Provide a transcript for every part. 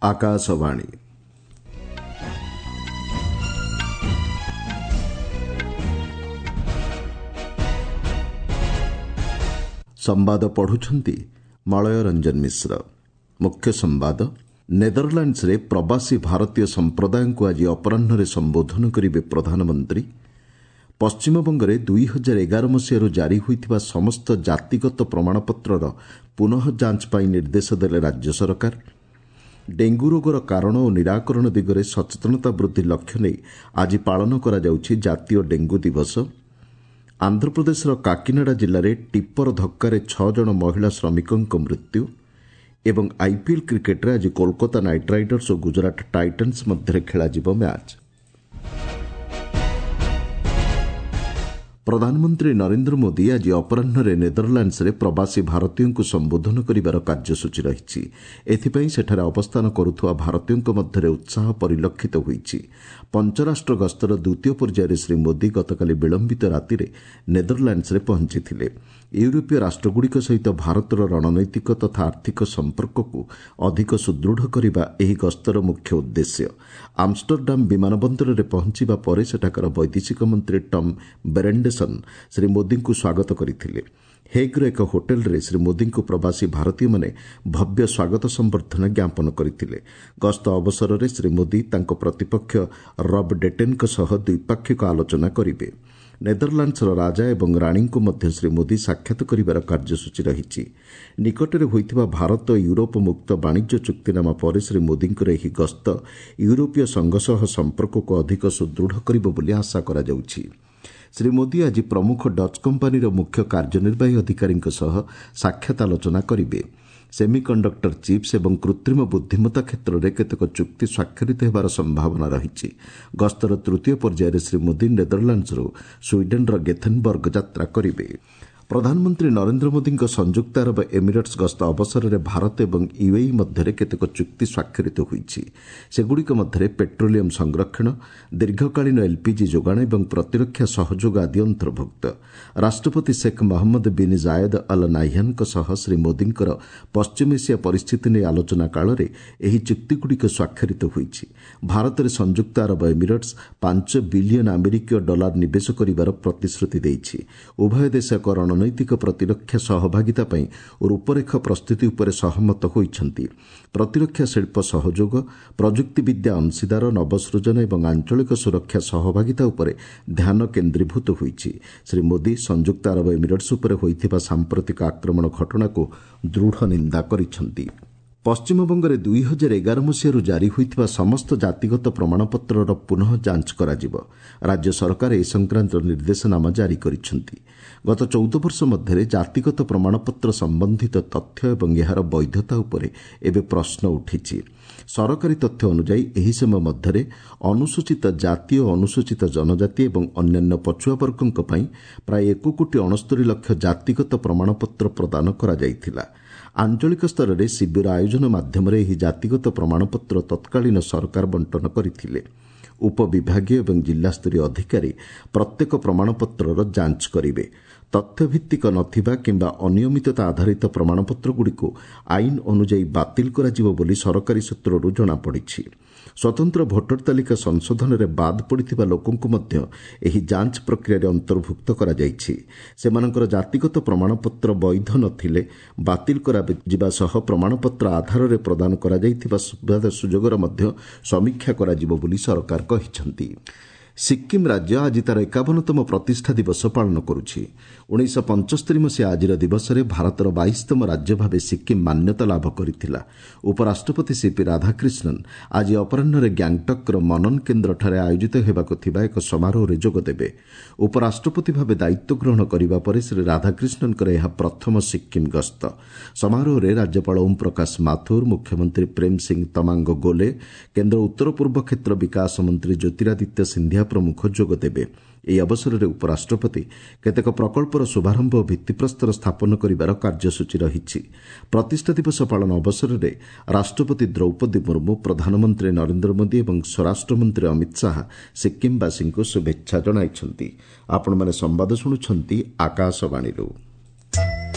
ଆକାଶବାଣୀ। ସମ୍ବାଦ ପଢୁଛନ୍ତି ମଳୟ ରଞ୍ଜନ ମିଶ୍ର। ମୁଖ୍ୟ ସମ୍ବାଦ। ନେଦରଲାଣ୍ଡସରେ ପ୍ରବାସୀ ଭାରତୀୟ ସମ୍ପ୍ରଦାୟଙ୍କୁ ଆଜି ଅପରାହ୍ନରେ ସମ୍ବୋଧନ କରିବେ ପ୍ରଧାନମନ୍ତ୍ରୀ। ପଶ୍ଚିମବଙ୍ଗରେ 2011 ମସିହାରୁ ଜାରି ହୋଇଥିବା ସମସ୍ତ ଜାତିଗତ ପ୍ରମାଣପତ୍ରର ପୁନଃ ଯାଞ୍ଚ ପାଇଁ ନିର୍ଦ୍ଦେଶ ଦେଲେ ରାଜ୍ୟ ସରକାର। ଡେଙ୍ଗୁ ରୋଗର କାରଣ ଓ ନିରାକରଣ ଦିଗରେ ସଚେତନତା ବୃଦ୍ଧି ଲକ୍ଷ୍ୟ ନେଇ ଆଜି ପାଳନ କରାଯାଉଛି ଜାତୀୟ ଡେଙ୍ଗୁ ଦିବସ। ଆନ୍ଧ୍ରପ୍ରଦେଶର କାକିନାଡା ଜିଲ୍ଲାରେ ଟିପ୍ପର ଧକ୍କାରେ 6 ଜଣ ମହିଳା ଶ୍ରମିକଙ୍କ ମୃତ୍ୟୁ ଏବଂ ଆଇପିଏଲ୍ କ୍ରିକେଟ୍ରେ ଆଜି କୋଲକାତା ନାଇଟ୍ ରାଇଡର୍ସ ଓ ଗୁଜରାଟ ଟାଇଟନ୍ସ ମଧ୍ୟରେ ଖେଳାଯିବ ମ୍ୟାଚ୍। ପ୍ରଧାନମନ୍ତ୍ରୀ ନରେନ୍ଦ୍ର ମୋଦି ଆଜି ଅପରାହ୍ନରେ ନେଦରଲାଣ୍ଡସରେ ପ୍ରବାସୀ ଭାରତୀୟଙ୍କୁ ସମ୍ବୋଧନ କରିବାର କାର୍ଯ୍ୟସୂଚୀ ରହିଛି। ଏଥିପାଇଁ ସେଠାରେ ଅବସ୍ଥାନ କରୁଥିବା ଭାରତୀୟଙ୍କ ମଧ୍ୟରେ ଉତ୍ସାହ ପରିଲକ୍ଷିତ ହୋଇଛି। ପଞ୍ଚରାଷ୍ଟ୍ର ଗସ୍ତର ଦ୍ୱିତୀୟ ପର୍ଯ୍ୟାୟରେ ଶ୍ରୀ ମୋଦି ଗତକାଲି ବିଳମ୍ବିତ ରାତିରେ ନେଦରଲାଣ୍ଡସରେ ପହଞ୍ଚିଥିଲେ। ୟୁରୋପୀୟ ରାଷ୍ଟ୍ରଗୁଡ଼ିକ ସହିତ ଭାରତର ରଣନୈତିକ ତଥା ଆର୍ଥିକ ସମ୍ପର୍କକୁ ଅଧିକ ସୁଦୃଢ଼ କରିବା ଏହି ଗସ୍ତର ମୁଖ୍ୟ ଉଦ୍ଦେଶ୍ୟ। ଆମଷ୍ଟରଡାମ୍ ବିମାନ ବନ୍ଦରରେ ପହଞ୍ଚିବା ପରେ ସେଠାକାର ବୈଦେଶିକ ମନ୍ତ୍ରୀ ଟମ୍ ବେରେଣ୍ଡେସନ୍ ଶ୍ରୀ ମୋଦିଙ୍କୁ ସ୍ୱାଗତ କରିଥିଲେ। ହେଗ୍ର ଏକ ହୋଟେଲରେ ଶ୍ରୀ ମୋଦିଙ୍କୁ ପ୍ରବାସୀ ଭାରତୀୟମାନେ ଭବ୍ୟ ସ୍ୱାଗତ ସମ୍ବର୍ଦ୍ଧନା ଜ୍ଞାପନ କରିଥିଲେ। ଗସ୍ତ ଅବସରରେ ଶ୍ରୀ ମୋଦି ତାଙ୍କ ପ୍ରତିପକ୍ଷ ରବ୍ ଡେଟେନ୍ଙ୍କ ସହ ଦ୍ୱିପାକ୍ଷିକ ଆଲୋଚନା କରିବେ। ନେଦରଲାଣ୍ଡସର ରାଜା ଏବଂ ରାଣୀଙ୍କୁ ମଧ୍ୟ ଶ୍ରୀ ମୋଦି ସାକ୍ଷାତ କରିବାର କାର୍ଯ୍ୟସୂଚୀ ରହିଛି। ନିକଟରେ ହୋଇଥିବା ଭାରତ ୟୁରୋପ ମୁକ୍ତ ବାଣିଜ୍ୟ ଚୁକ୍ତିନାମା ପରେ ଶ୍ରୀ ମୋଦିଙ୍କର ଏହି ଗସ୍ତ ୟୁରୋପୀୟ ସଂଘ ସହ ସମ୍ପର୍କକୁ ଅଧିକ ସୁଦୃଢ଼ କରିବ ବୋଲି ଆଶା କରାଯାଉଛି। ଶ୍ରୀ ମୋଦି ଆଜି ପ୍ରମୁଖ ଡଚ୍ କମ୍ପାନୀର ମୁଖ୍ୟ କାର୍ଯ୍ୟନିର୍ବାହୀ ଅଧିକାରୀଙ୍କ ସହ ସାକ୍ଷାତ ଆଲୋଚନା କରିବେ। ସେମିକଣ୍ଡକ୍ଟର ଚିପ୍ସ ଏବଂ କୃତ୍ରିମ ବୁଦ୍ଧିମତ୍ତା କ୍ଷେତ୍ରରେ କେତେକ ଚୁକ୍ତି ସ୍ୱାକ୍ଷରିତ ହେବାର ସମ୍ଭାବନା ରହିଛି। ଗସ୍ତର ତୃତୀୟ ପର୍ଯ୍ୟାୟରେ ଶ୍ରୀ ମୋଦି ନେଦରଲାଣ୍ଡସରୁ ସ୍ୱିଡେନ୍ର ଗେଥେନବର୍ଗ ଯାତ୍ରା କରିବେ। ପ୍ରଧାନମନ୍ତ୍ରୀ ନରେନ୍ଦ୍ର ମୋଦିଙ୍କ ସଂଯୁକ୍ତ ଆରବ ଏମିରେଟ୍ସ ଗସ୍ତ ଅବସରରେ ଭାରତ ଏବଂ ୟୁଏଇ ମଧ୍ୟରେ କେତେକ ଚୁକ୍ତି ସ୍ୱାକ୍ଷରିତ ହୋଇଛି। ସେଗୁଡ଼ିକ ମଧ୍ୟରେ ପେଟ୍ରୋଲିୟମ୍ ସଂରକ୍ଷଣ, ଦୀର୍ଘକାଳୀନ ଏଲ୍ପିଜି ଯୋଗାଣ ଏବଂ ପ୍ରତିରକ୍ଷା ସହଯୋଗ ଆଦି ଅନ୍ତର୍ଭୁକ୍ତ। ରାଷ୍ଟ୍ରପତି Sheikh Mohammed bin Zayed Al ନାହ୍ୟାନ୍ଙ୍କ ସହ ଶ୍ରୀ ମୋଦିଙ୍କର ପଶ୍ଚିମ ଏସିଆ ପରିସ୍ଥିତି ନେଇ ଆଲୋଚନା କାଳରେ ଏହି ଚୁକ୍ତିଗୁଡ଼ିକ ସ୍ୱାକ୍ଷରିତ ହୋଇଛି। ଭାରତରେ ସଂଯୁକ୍ତ ଆରବ ଏମିରେଟ୍ସ 5 ବିଲିୟନ୍ ଆମେରିକୀୟ ଡଲାର ନିବେଶ କରିବାର ପ୍ରତିଶ୍ରୁତି ଦେଇଛି। ଉଭୟ ଦେଶ ଏକ ରଣନୈତିକ ପ୍ରତିରକ୍ଷା ସହଭାଗିତା ପାଇଁ ରୂପରେଖ ପ୍ରସ୍ତୁତି ଉପରେ ସହମତ ହୋଇଛନ୍ତି। ପ୍ରତିରକ୍ଷା ଶିଳ୍ପ ସହଯୋଗ, ପ୍ରଯୁକ୍ତିବିଦ୍ୟା ଅଂଶୀଦାର, ନବସୃଜନ ଏବଂ ଆଞ୍ଚଳିକ ସୁରକ୍ଷା ସହଭାଗିତା ଉପରେ ଧ୍ୟାନ କେନ୍ଦ୍ରୀଭୂତ ହୋଇଛି। ଶ୍ରୀ ମୋଦି ସଂଯୁକ୍ତ ଆରବ ଏମିରେଟ୍ସ ଉପରେ ହୋଇଥିବା ସାମ୍ପ୍ରତିକ ଆକ୍ରମଣ ଘଟଣାକୁ ଦୃଢ଼ ନିନ୍ଦା କରିଛନ୍ତି। ପଶ୍ଚିମବଙ୍ଗରେ 2011 ମସିହାରୁ ଜାରି ହୋଇଥିବା ସମସ୍ତ ଜାତିଗତ ପ୍ରମାଣପତ୍ରର ପୁନଃ ଯାଞ୍ଚ କରାଯିବ। ରାଜ୍ୟ ସରକାର ଏ ସଂକ୍ରାନ୍ତ ନିର୍ଦ୍ଦେଶନାମା ଜାରି କରିଛନ୍ତି। ଗତ 14 ବର୍ଷ ମଧ୍ୟରେ ଜାତିଗତ ପ୍ରମାଣପତ୍ର ସମ୍ବନ୍ଧିତ ତଥ୍ୟ ଏବଂ ଏହାର ବୈଧତା ଉପରେ ଏବେ ପ୍ରଶ୍ନ ଉଠିଛି। ସରକାରୀ ତଥ୍ୟ ଅନୁଯାୟୀ ଏହି ସମୟ ମଧ୍ୟରେ ଅନୁସୂଚିତ ଜାତି ଓ ଅନୁସୂଚିତ ଜନଜାତି ଏବଂ ଅନ୍ୟାନ୍ୟ ପଛୁଆ ବର୍ଗଙ୍କ ପାଇଁ ପ୍ରାୟ 1 କୋଟି 69 ଲକ୍ଷ ଜାତିଗତ ପ୍ରମାଣପତ୍ର ପ୍ରଦାନ କରାଯାଇଥିଲା। ଆଞ୍ଚଳିକ ସ୍ତରରେ ଶିବିର ଆୟୋଜନ ମାଧ୍ୟମରେ ଏହି ଜାତିଗତ ପ୍ରମାଣପତ୍ର ତତ୍କାଳୀନ ସରକାର ବଣ୍ଟନ କରିଥିଲେ। ଉପବିଭାଗୀୟ ଏବଂ ଜିଲ୍ଲାସ୍ତରୀୟ ଅଧିକାରୀ ପ୍ରତ୍ୟେକ ପ୍ରମାଣପତ୍ରର ଯାଞ୍ଚ କରିବେ। ତଥ୍ୟଭିତ୍ତିକ ନଥିବା କିମ୍ବା ଅନିୟମିତତା ଆଧାରିତ ପ୍ରମାଣପତ୍ରଗୁଡ଼ିକୁ ଆଇନ ଅନୁଯାୟୀ ବାତିଲ କରାଯିବ ବୋଲି ସରକାରୀ ସୂତ୍ରରୁ ଜଣାପଡ଼ିଛି। ସ୍ୱତନ୍ତ୍ର ଭୋଟର ତାଲିକା ସଂଶୋଧନରେ ବାଦ୍ ପଡ଼ିଥିବା ଲୋକଙ୍କୁ ମଧ୍ୟ ଏହି ଯାଞ୍ଚ ପ୍ରକ୍ରିୟାରେ ଅନ୍ତର୍ଭୁକ୍ତ କରାଯାଇଛି। ସେମାନଙ୍କର ଜାତିଗତ ପ୍ରମାଣପତ୍ର ବୈଧ ନଥିଲେ ବାତିଲ କରାଯିବା ସହ ପ୍ରମାଣପତ୍ର ଆଧାରରେ ପ୍ରଦାନ କରାଯାଇଥିବା ସୁବିଧା ସୁଯୋଗର ମଧ୍ୟ ସମୀକ୍ଷା କରାଯିବ ବୋଲି ସରକାର କହିଛନ୍ତି। ସିକ୍କିମ୍ ରାଜ୍ୟ ଆଜି ତା'ର 51ତମ ପ୍ରତିଷ୍ଠା ଦିବସ ପାଳନ କରୁଛି। 1975 ମସିହା ଆଜିର ଦିବସରେ ଭାରତର 22ତମ ରାଜ୍ୟ ଭାବେ ସିକ୍କିମ୍ ମାନ୍ୟତା ଲାଭ କରିଥିଲା। ଉପରାଷ୍ଟ୍ରପତି ସିପି ରାଧାକ୍ରିଷ୍ଣନ୍ ଆଜି ଅପରାହ୍ନରେ ଗ୍ୟାଙ୍ଗଟକ୍ର ମନନ କେନ୍ଦ୍ରଠାରେ ଆୟୋଜିତ ହେବାକୁ ଥିବା ଏକ ସମାରୋହରେ ଯୋଗଦେବେ। ଉପରାଷ୍ଟ୍ରପତି ଭାବେ ଦାୟିତ୍ୱ ଗ୍ରହଣ କରିବା ପରେ ଶ୍ରୀ ରାଧାକ୍ରିଷ୍ଣନ୍ଙ୍କର ଏହା ପ୍ରଥମ ସିକ୍କିମ୍ ଗସ୍ତ। ସମାରୋହରେ ରାଜ୍ୟପାଳ ଓମ୍ ପ୍ରକାଶ ମାଥୁର, ମୁଖ୍ୟମନ୍ତ୍ରୀ ପ୍ରେମ୍ ସିଂ ତମାଙ୍ଗ ଗୋଲେ, କେନ୍ଦ୍ର ଉତ୍ତର ପୂର୍ବ କ୍ଷେତ୍ର ବିକାଶ ମନ୍ତ୍ରୀ ଜ୍ୟୋତିରାଦିତ୍ୟ ସିନ୍ଧିଆ ପ୍ରମୁଖ ଯୋଗଦେବେ। ଏହି ଅବସରରେ ଉପରାଷ୍ଟ୍ରପତି କେତେକ ପ୍ରକଳ୍ପର ଶୁଭାରମ୍ଭ ଓ ଭିତ୍ତିପ୍ରସ୍ତର ସ୍ଥାପନ କରିବାର କାର୍ଯ୍ୟସୂଚୀ ରହିଛି। ପ୍ରତିଷ୍ଠା ଦିବସ ପାଳନ ଅବସରରେ ରାଷ୍ଟ୍ରପତି ଦ୍ରୌପଦୀ ମୁର୍ମୁ, ପ୍ରଧାନମନ୍ତ୍ରୀ ନରେନ୍ଦ୍ର ମୋଦି ଏବଂ ସ୍ୱରାଷ୍ଟ୍ରମନ୍ତ୍ରୀ ଅମିତ ଶାହା ସିକ୍କିମ୍ବାସୀଙ୍କୁ ଶୁଭେଚ୍ଛା ଜଣାଇଛନ୍ତି। ଆପଣମାନେ ସମ୍ବାଦ ଶୁଣୁଛନ୍ତି ଆକାଶବାଣୀରୁ।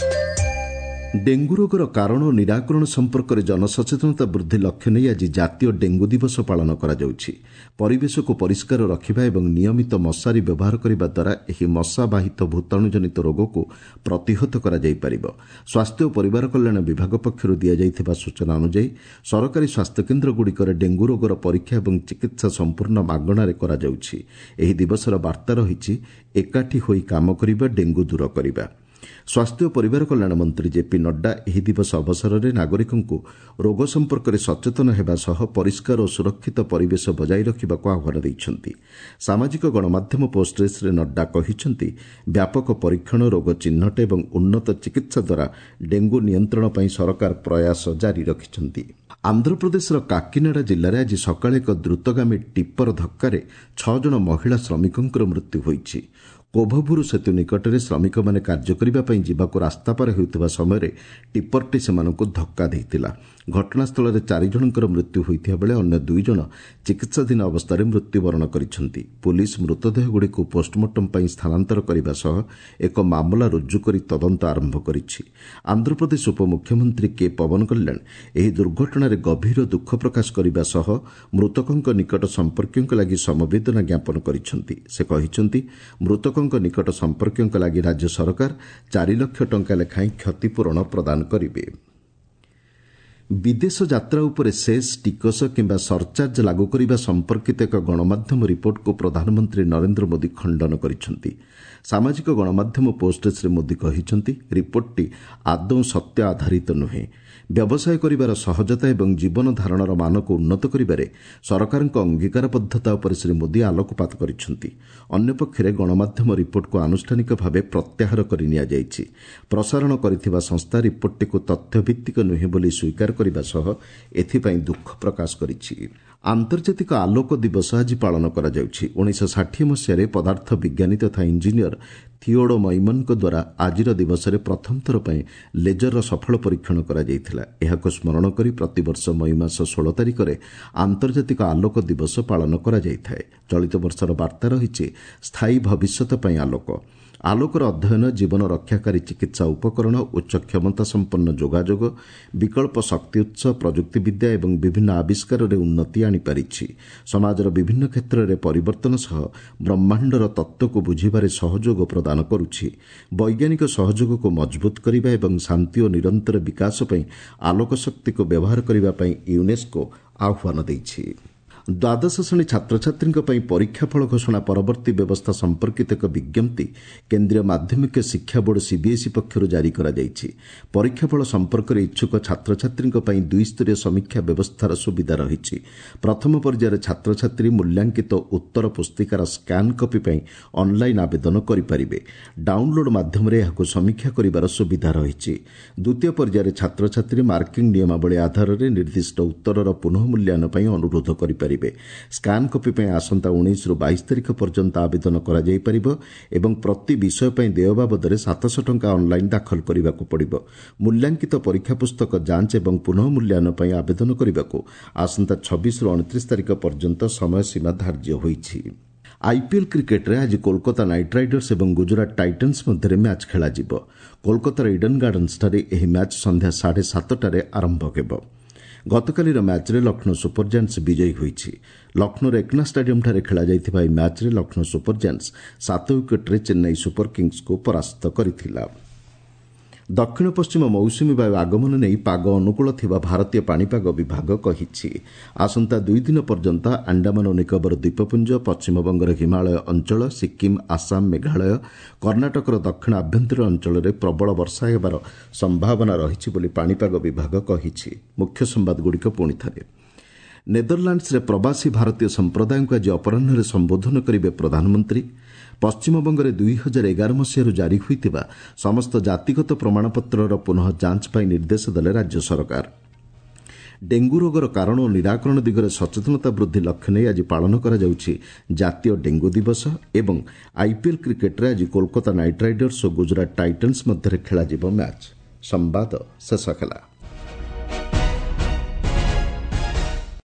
ଡେଙ୍ଗୁ ରୋଗର କାରଣ ଓ ନିରାକରଣ ସମ୍ପର୍କରେ ଜନସଚେତନତା ବୃଦ୍ଧି ଲକ୍ଷ୍ୟ ନେଇ ଆଜି ଜାତୀୟ ଡେଙ୍ଗୁ ଦିବସ ପାଳନ କରାଯାଉଛି। ପରିବେଶକୁ ପରିଷ୍କାର ରଖିବା ଏବଂ ନିୟମିତ ମଶାରୀ ବ୍ୟବହାର କରିବା ଦ୍ୱାରା ଏହି ମଶାବାହିତ ଭୂତାଣୁଜନିତ ରୋଗକୁ ପ୍ରତିହତ କରାଯାଇପାରିବ। ସ୍ୱାସ୍ଥ୍ୟ ଓ ପରିବାର କଲ୍ୟାଣ ବିଭାଗ ପକ୍ଷରୁ ଦିଆଯାଇଥିବା ସୂଚନା ଅନୁଯାୟୀ ସରକାରୀ ସ୍ୱାସ୍ଥ୍ୟକେନ୍ଦ୍ରଗୁଡ଼ିକରେ ଡେଙ୍ଗୁ ରୋଗର ପରୀକ୍ଷା ଏବଂ ଚିକିତ୍ସା ସମ୍ପୂର୍ଣ୍ଣ ମାଗଣାରେ କରାଯାଉଛି। ଏହି ଦିବସର ବାର୍ତ୍ତା ରହିଛି, ଏକାଠି ହୋଇ କାମ କରିବା, ଡେଙ୍ଗୁ ଦୂର କରିବା। ସ୍ୱାସ୍ଥ୍ୟ ଓ ପରିବାର କଲ୍ୟାଣ ମନ୍ତ୍ରୀ ଜେପି ନଡ୍ଡା ଏହି ଦିବସ ଅବସରରେ ନାଗରିକଙ୍କୁ ରୋଗ ସମ୍ପର୍କରେ ସଚେତନ ହେବା ସହ ପରିଷ୍କାର ଓ ସୁରକ୍ଷିତ ପରିବେଶ ବଜାୟ ରଖିବାକୁ ଆହ୍ୱାନ ଦେଇଛନ୍ତି। ସାମାଜିକ ଗଣମାଧ୍ୟମ ପୋଷ୍ଟରେ ଶ୍ରୀ ନଡ୍ଡା କହିଛନ୍ତି, ବ୍ୟାପକ ପରୀକ୍ଷଣ, ରୋଗ ଚିହ୍ନଟ ଏବଂ ଉନ୍ନତ ଚିକିତ୍ସା ଦ୍ୱାରା ଡେଙ୍ଗୁ ନିୟନ୍ତ୍ରଣ ପାଇଁ ସରକାର ପ୍ରୟାସ ଜାରି ରଖିଛନ୍ତି। ଆନ୍ଧ୍ରପ୍ରଦେଶର କାକିନାଡା ଜିଲ୍ଲାରେ ଆଜି ସକାଳେ ଏକ ଦ୍ରୁତଗାମୀ ଟିପ୍ପର ଧକ୍କାରେ 6 ଜଣ ମହିଳା ଶ୍ରମିକଙ୍କର ମୃତ୍ୟୁ ହୋଇଛି। କୋଭଭୁରୁ ସେତୁ ନିକଟରେ ଶ୍ରମିକମାନେ କାର୍ଯ୍ୟ କରିବା ପାଇଁ ଯିବାକୁ ରାସ୍ତା ପାର ହେଉଥିବା ସମୟରେ ଟିପ୍ପରଟି ସେମାନଙ୍କୁ ଧକ୍କା ଦେଇଥିଲା। ଘଟଣାସ୍ଥଳରେ 4 ଜଣଙ୍କର ମୃତ୍ୟୁ ହୋଇଥିବା ବେଳେ ଅନ୍ୟ 2 ଜଣ ଚିକିତ୍ସାଧୀନ ଅବସ୍ଥାରେ ମୃତ୍ୟୁବରଣ କରିଛନ୍ତି। ପୁଲିସ୍ ମୃତଦେହଗୁଡ଼ିକୁ ପୋଷ୍ଟମର୍ଟମ ପାଇଁ ସ୍ଥାନାନ୍ତର କରିବା ସହ ଏକ ମାମଲା ରୁଜୁ କରି ତଦନ୍ତ ଆରମ୍ଭ କରିଛି। ଆନ୍ଧ୍ରପ୍ରଦେଶ ଉପମୁଖ୍ୟମନ୍ତ୍ରୀ କେ ପବନ କଲ୍ୟାଣ ଏହି ଦୁର୍ଘଟଣାରେ ଗଭୀର ଦୁଃଖ ପ୍ରକାଶ କରିବା ସହ ମୃତକଙ୍କ ନିକଟ ସମ୍ପର୍କୀୟଙ୍କ ଲାଗି ସମବେଦନା ଜ୍ଞାପନ କରିଛନ୍ତି। ସେ କହିଛନ୍ତି, ମୃତକଙ୍କ ନିକଟ ସମ୍ପର୍କୀୟଙ୍କ ଲାଗି ରାଜ୍ୟ ସରକାର 4 ଲକ୍ଷ ଟଙ୍କା ଲେଖାଏଁ କ୍ଷତିପୂରଣ ପ୍ରଦାନ କରିବେ। ବିଦେଶ ଯାତ୍ରା ଉପରେ ସେସ୍, ଟିକସ କିମ୍ବା ସରଚାର୍ଜ ଲାଗୁ କରିବା ସମ୍ପର୍କିତ ଏକ ଗଣମାଧ୍ୟମ ରିପୋର୍ଟକୁ ପ୍ରଧାନମନ୍ତ୍ରୀ ନରେନ୍ଦ୍ର ମୋଦି ଖଣ୍ଡନ କରିଛନ୍ତି। ସାମାଜିକ ଗଣମାଧ୍ୟମ ପୋଷ୍ଟରେ ଶ୍ରୀ ମୋଦି କହିଛନ୍ତି, ରିପୋର୍ଟଟି ଆଦୌ ସତ୍ୟ ଆଧାରିତ ନୁହେଁ। ବ୍ୟବସାୟ କରିବାର ସହଜତା ଏବଂ ଜୀବନ ଧାରଣର ମାନକୁ ଉନ୍ନତ କରିବାରେ ସରକାରଙ୍କ ଅଙ୍ଗୀକାରବଦ୍ଧତା ଉପରେ ଶ୍ରୀ ମୋଦି ଆଲୋକପାତ କରିଛନ୍ତି। ଅନ୍ୟପକ୍ଷରେ ଗଣମାଧ୍ୟମ ରିପୋର୍ଟକୁ ଆନୁଷ୍ଠାନିକ ଭାବେ ପ୍ରତ୍ୟାହାର କରି ନିଆଯାଇଛି। ପ୍ରସାରଣ କରିଥିବା ସଂସ୍ଥା ରିପୋର୍ଟଟିକୁ ତଥ୍ୟଭିତ୍ତିକ ନୁହେଁ ବୋଲି ସ୍ୱୀକାର କରିବା ସହ ଏଥିପାଇଁ ଦୁଃଖ ପ୍ରକାଶ କରିଛି। ଆନ୍ତର୍ଜାତିକ ଆଲୋକ ଦିବସ ଆଜି ପାଳନ କରାଯାଉଛି। 1960 ମସିହାରେ ପଦାର୍ଥ ବିଜ୍ଞାନୀ ତଥା ଇଞ୍ଜିନିୟର ଥିଓଡୋ ମୈମନଙ୍କ ଦ୍ୱାରା ଆଜିର ଦିବସରେ ପ୍ରଥମ ଥର ପାଇଁ ଲେଜରର ସଫଳ ପରୀକ୍ଷଣ କରାଯାଇଥିଲା। ଏହାକୁ ସ୍ମରଣ କରି ପ୍ରତିବର୍ଷ ମଇ ମାସ 16 ତାରିଖରେ ଆନ୍ତର୍ଜାତିକ ଆଲୋକ ଦିବସ ପାଳନ କରାଯାଇଥାଏ। ଚଳିତ ବର୍ଷର ବାର୍ତ୍ତା ରହିଛି, ସ୍ଥାୟୀ ଭବିଷ୍ୟତ ପାଇଁ ଆଲୋକ। ଆଲୋକର ଅଧ୍ୟୟନ ଜୀବନ ରକ୍ଷାକାରୀ ଚିକିତ୍ସା ଉପକରଣ, ଉଚ୍ଚ କ୍ଷମତା ସମ୍ପନ୍ନ ଯୋଗାଯୋଗ, ବିକଳ୍ପ ଶକ୍ତି ଉତ୍ସ, ପ୍ରଯୁକ୍ତିବିଦ୍ୟା ଏବଂ ବିଭିନ୍ନ ଆବିଷ୍କାରରେ ଉନ୍ନତି ଆଣିପାରିଛି। ସମାଜର ବିଭିନ୍ନ କ୍ଷେତ୍ରରେ ପରିବର୍ତ୍ତନ ସହ ବ୍ରହ୍ମାଣ୍ଡର ତତ୍ତ୍ୱକୁ ବୁଝିବାରେ ସହଯୋଗ ପ୍ରଦାନ କରୁଛି। ବୈଜ୍ଞାନିକ ସହଯୋଗକୁ ମଜବୁତ କରିବା ଏବଂ ଶାନ୍ତି ଓ ନିରନ୍ତର ବିକାଶ ପାଇଁ ଆଲୋକ ଶକ୍ତିକୁ ବ୍ୟବହାର କରିବା ପାଇଁ ୟୁନେସ୍କୋ ଆହ୍ୱାନ ଦେଇଛି। ଦ୍ୱାଦଶ ଶ୍ରେଣୀ ଛାତ୍ରଛାତ୍ରୀଙ୍କ ପାଇଁ ପରୀକ୍ଷା ଫଳ ଘୋଷଣା ପରବର୍ତ୍ତୀ ବ୍ୟବସ୍ଥା ସମ୍ପର୍କିତ ଏକ ବିଜ୍ଞପ୍ତି କେନ୍ଦ୍ରୀୟ ମାଧ୍ୟମିକ ଶିକ୍ଷା ବୋର୍ଡ ସିବିଏସ୍ଇ ପକ୍ଷରୁ ଜାରି କରାଯାଇଛି। ପରୀକ୍ଷା ଫଳ ସମ୍ପର୍କରେ ଇଚ୍ଛୁକ ଛାତ୍ରଛାତ୍ରୀଙ୍କ ପାଇଁ ଦ୍ୱିସ୍ତରୀୟ ସମୀକ୍ଷା ବ୍ୟବସ୍ଥାର ସୁବିଧା ରହିଛି। ପ୍ରଥମ ପର୍ଯ୍ୟାୟରେ ଛାତ୍ରଛାତ୍ରୀ ମୂଲ୍ୟାଙ୍କିତ ଉତ୍ତର ପୁସ୍ତିକାର ସ୍କାନ୍ କପି ପାଇଁ ଅନ୍ଲାଇନ୍ ଆବେଦନ କରିପାରିବେ। ଡାଉନ୍ଲୋଡ୍ ମାଧ୍ୟମରେ ଏହାକୁ ସମୀକ୍ଷା କରିବାର ସୁବିଧା ରହିଛି। ଦ୍ୱିତୀୟ ପର୍ଯ୍ୟାୟରେ ଛାତ୍ରଛାତ୍ରୀ ମାର୍କିଂ ନିୟମାବଳୀ ଆଧାରରେ ନିର୍ଦ୍ଦିଷ୍ଟ ଉତ୍ତରର ପୁନଃ ମୂଲ୍ୟାୟନ ପାଇଁ ଅନୁରୋଧ କରିପାରିବେ। ସ୍କାନ୍ କପି ପାଇଁ ଆସନ୍ତା 19ରୁ 22 ତାରିଖ ପର୍ଯ୍ୟନ୍ତ ଆବେଦନ କରାଯାଇପାରିବ ଏବଂ ପ୍ରତି ବିଷୟ ପାଇଁ ଦେୟ ବାବଦରେ 700 ଟଙ୍କା ଅନ୍ଲାଇନ୍ ଦାଖଲ କରିବାକୁ ପଡ଼ିବ। ମୂଲ୍ୟାଙ୍କିତ ପରୀକ୍ଷା ପୁସ୍ତକ ଯାଞ୍ଚ ଏବଂ ପୁନଃ ମୂଲ୍ୟାୟନ ପାଇଁ ଆବେଦନ କରିବାକୁ ଆସନ୍ତା 26ରୁ 29 ତାରିଖ ପର୍ଯ୍ୟନ୍ତ ସମୟସୀମା ଧାର୍ଯ୍ୟ ହୋଇଛି। ଆଇପିଏଲ୍ କ୍ରିକେଟ୍ରେ ଆଜି କୋଲକାତା ନାଇଟ୍ ରାଇଡର୍ସ ଏବଂ ଗୁଜରାଟ ଟାଇଟନ୍ସ ମଧ୍ୟରେ ମ୍ୟାଚ୍ ଖେଳାଯିବ। କୋଲକାତାର ଇଡେନ୍ ଗାର୍ଡନ୍ସଠାରେ ଏହି ମ୍ୟାଚ୍ ସନ୍ଧ୍ୟା 7:30ରେ ଆରମ୍ଭ ହେବ। ଗତକାଲିର ମ୍ୟାଚ୍ରେ ଲକ୍ଷ୍ନୌ ସୁପର ଜାଏଣ୍ଟସ୍ ବିଜୟୀ ହୋଇଛି। ଲକ୍ଷ୍ନୌର ଏକନା ଷ୍ଟାଡିୟମ୍ଠାରେ ଖେଳାଯାଇଥିବା ଏହି ମ୍ୟାଚ୍ରେ ଲକ୍ଷ୍ନୌ ସୁପର ଜାଏଣ୍ଟସ୍ 7 ୱିକେଟ୍ରେ ଚେନ୍ନାଇ ସୁପର କିଙ୍ଗସ୍କୁ ପରାସ୍ତ କରିଥିଲା। ଦକ୍ଷିଣ ପଶ୍ଚିମ ମୌସୁମୀ ବାୟୁ ଆଗମନ ନେଇ ପାଗ ଅନୁକୂଳ ଥିବା ଭାରତୀୟ ପାଣିପାଗ ବିଭାଗ କହିଛି। ଆସନ୍ତା 2 ଦିନ ପର୍ଯ୍ୟନ୍ତ ଆଣ୍ଡାମାନ ଓ ନିକୋବର ଦ୍ୱୀପପୁଞ୍ଜ, ପଶ୍ଚିମବଙ୍ଗର ହିମାଳୟ ଅଞ୍ଚଳ, ସିକ୍କିମ୍, ଆସାମ, ମେଘାଳୟ, କର୍ଣ୍ଣାଟକର ଦକ୍ଷିଣ ଆଭ୍ୟନ୍ତରୀଣ ଅଞ୍ଚଳରେ ପ୍ରବଳ ବର୍ଷା ହେବାର ସମ୍ଭାବନା ରହିଛି ବୋଲି ପାଣିପାଗ ବିଭାଗ କହିଛି। ମୁଖ୍ୟ ସମ୍ବାଦଗୁଡ଼ିକ ପୁଣି ଥରେ। ନେଦରଲାଣ୍ଡସରେ ପ୍ରବାସୀ ଭାରତୀୟ ସମ୍ପ୍ରଦାୟଙ୍କୁ ଆଜି ଅପରାହ୍ନରେ ସମ୍ବୋଧନ କରିବେ ପ୍ରଧାନମନ୍ତ୍ରୀ। ପଶ୍ଚିମବଙ୍ଗରେ 2011 ମସିହାରୁ ଜାରି ହୋଇଥିବା ସମସ୍ତ ଜାତିଗତ ପ୍ରମାଣପତ୍ରର ପୁନଃ ଯାଞ୍ଚ ପାଇଁ ନିର୍ଦ୍ଦେଶ ଦେଲେ ରାଜ୍ୟ ସରକାର। ଡେଙ୍ଗୁ ରୋଗର କାରଣ ଓ ନିରାକରଣ ଦିଗରେ ସଚେତନତା ବୃଦ୍ଧି ଲକ୍ଷ୍ୟ ନେଇ ଆଜି ପାଳନ କରାଯାଉଛି ଜାତୀୟ ଡେଙ୍ଗୁ ଦିବସ। ଏବଂ ଆଇପିଏଲ୍ କ୍ରିକେଟ୍ରେ ଆଜି କୋଲକାତା ନାଇଟ୍ ରାଇଡର୍ସ ଓ ଗୁଜରାଟ ଟାଇଟନ୍ସ ମଧ୍ୟରେ ଖେଳାଯିବ ମ୍ୟାଚ୍। ସମ୍ବାଦ ଶେଷ ହେଲା।